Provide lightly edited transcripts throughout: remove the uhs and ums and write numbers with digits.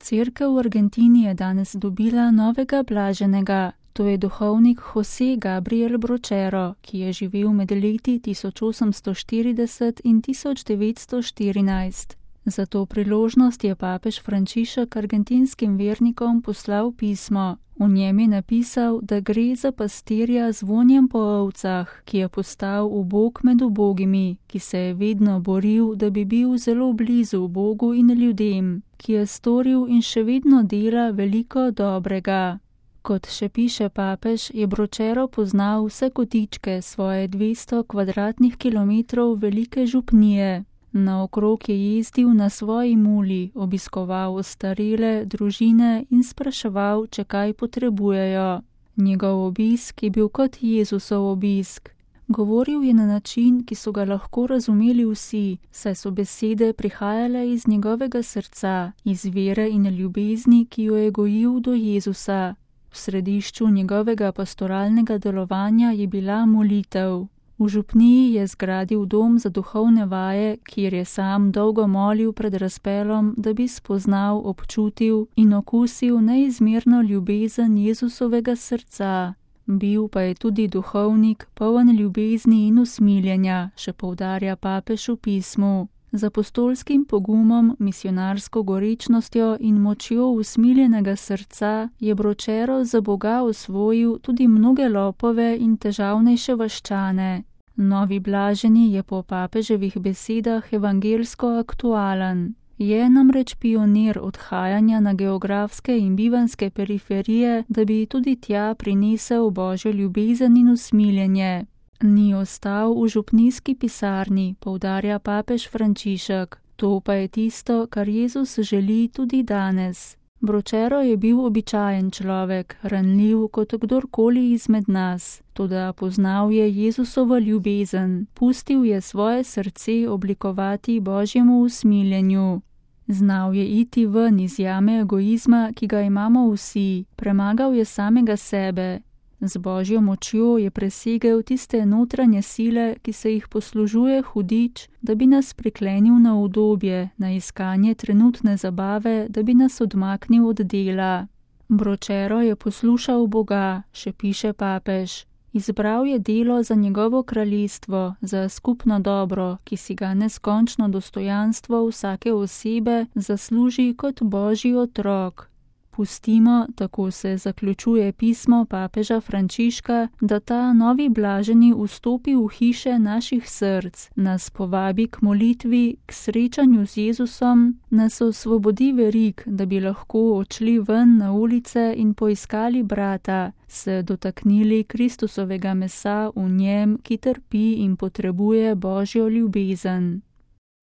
Cerkev v Argentini je danes dobila novega blaženega. To je duhovnik José Gabriel Brochero, ki je živel med leti 1840 in 1914. Za to priložnost je papež Frančišek argentinskim vernikom poslal pismo. V njem je napisal, da gre za pastirja z vonjem po ovcah, ki je postal ubog med ubogimi, ki se je vedno boril, da bi bil zelo blizu Bogu in ljudem, ki je storil in še vedno dela veliko dobrega. Kot še piše papež, je Brochero poznal vse kotičke svoje 200 kvadratnih kilometrov velike župnije. Naokrog je jezdil na svoji muli, obiskoval ostarele, družine in spraševal, če kaj potrebujejo. Njegov obisk je bil kot Jezusov obisk. Govoril je na način, ki so ga lahko razumeli vsi, saj so besede prihajale iz njegovega srca, iz vere in ljubezni, ki jo je gojil do Jezusa. V središču njegovega pastoralnega delovanja je bila molitev. V župniji je zgradil dom za duhovne vaje, kjer je sam dolgo molil pred razpelom, da bi spoznal, občutil in okusil neizmerno ljubezen Jezusovega srca. Bil pa je tudi duhovnik, poln ljubezni in usmiljenja, še poudarja papež v pismu. Z apostolskim pogumom, misionarsko gorečnostjo in močjo usmiljenega srca je Brochero za Boga osvojil tudi mnoge lopove in težavnejše vaščane. Novi blaženi je po papeževih besedah evangelsko aktualen. Je namreč pionir odhajanja na geografske in bivanske periferije, da bi tudi tja prinesel Božjo ljubezen in usmiljenje. Ni ostal v župnijski pisarni, poudarja papež Frančišek. To pa je tisto, kar Jezus želi tudi danes. Brochero je bil običajen človek, ranljiv kot kdorkoli izmed nas, toda poznal je Jezusovo ljubezen, pustil je svoje srce oblikovati Božjemu usmiljenju. Znal je iti ven iz jame egoizma, ki ga imamo vsi, premagal je samega sebe. Z Božjo močjo je presegel tiste notranje sile, ki se jih poslužuje hudič, da bi nas priklenil na udobje, na iskanje trenutne zabave, da bi nas odmaknil od dela. Brochero je poslušal Boga, še piše papež. Izbral je delo za njegovo kraljestvo, za skupno dobro, ki si ga neskončno dostojanstvo vsake osebe zasluži kot Božji otrok. Pustimo, tako se zaključuje pismo papeža Frančiška, da ta novi blaženi vstopi v hiše naših src, nas povabi k molitvi, k srečanju z Jezusom, nas osvobodi verig, da bi lahko odšli ven na ulice in poiskali brata, se dotaknili Kristusovega mesa v njem, ki trpi in potrebuje Božjo ljubezen.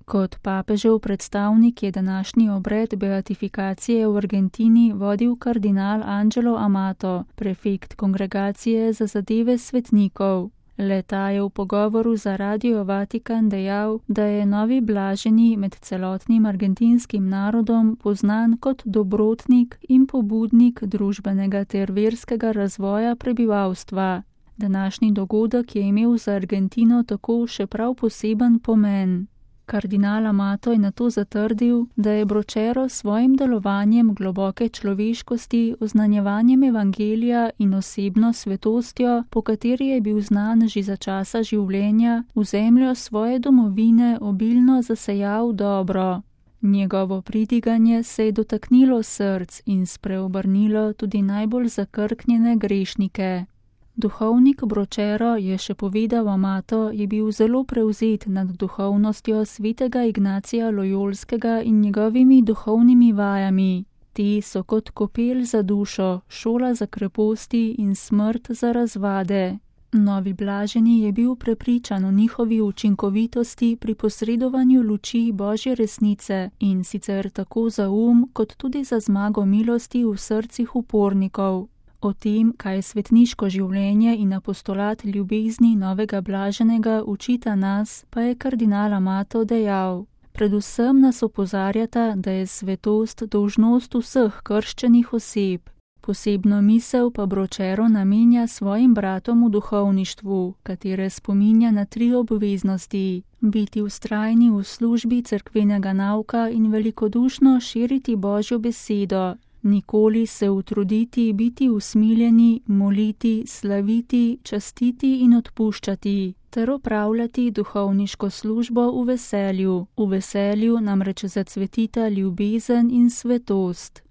Kot papežev predstavnik je današnji obred beatifikacije v Argentini vodil kardinal Angelo Amato, prefekt kongregacije za zadeve svetnikov. Le-ta je v pogovoru za Radio Vatikan dejal, da je novi blaženi med celotnim argentinskim narodom poznan kot dobrotnik in pobudnik družbenega ter verskega razvoja prebivalstva. Današnji dogodek je imel za Argentino tako še prav poseben pomen. Kardinal Amato je nato zatrdil, da je Brochero s svojim delovanjem globoke človeškosti, oznanjevanjem evangelija in osebno svetostjo, po kateri je bil znan že za časa življenja, v zemljo svoje domovine obilno zasejal dobro. Njegovo pridiganje se je dotaknilo src in spreobrnilo tudi najbolj zakrknjene grešnike. Duhovnik Brochero, je še povedal Amato, je bil zelo prevzet nad duhovnostjo svetega Ignacija Lojolskega in njegovimi duhovnimi vajami. Te so kot kopel za dušo, šola za kreposti in smrt za razvade. Novi blaženi je bil prepričan o njihovi učinkovitosti pri posredovanju luči Božje resnice in sicer tako za kot tudi za zmago milosti v srcih upornikov. O tem, kaj svetniško življenje in apostolat ljubezni novega blaženega učita nas, pa je kardinal Amato dejal. Predvsem nas opozarjata, da je svetost dolžnost vseh krščenih oseb. Posebno misel pa Bročero namenja svojim bratom v duhovništvu, katere spominja na 3 obveznosti: biti vztrajni v službi cerkvenega nauka in velikodušno širiti Božjo besedo, nikoli se utruditi biti usmiljeni, moliti, slaviti, častiti in odpuščati, ter opravljati duhovniško službo v veselju namreč zacvetita ljubezen in svetost.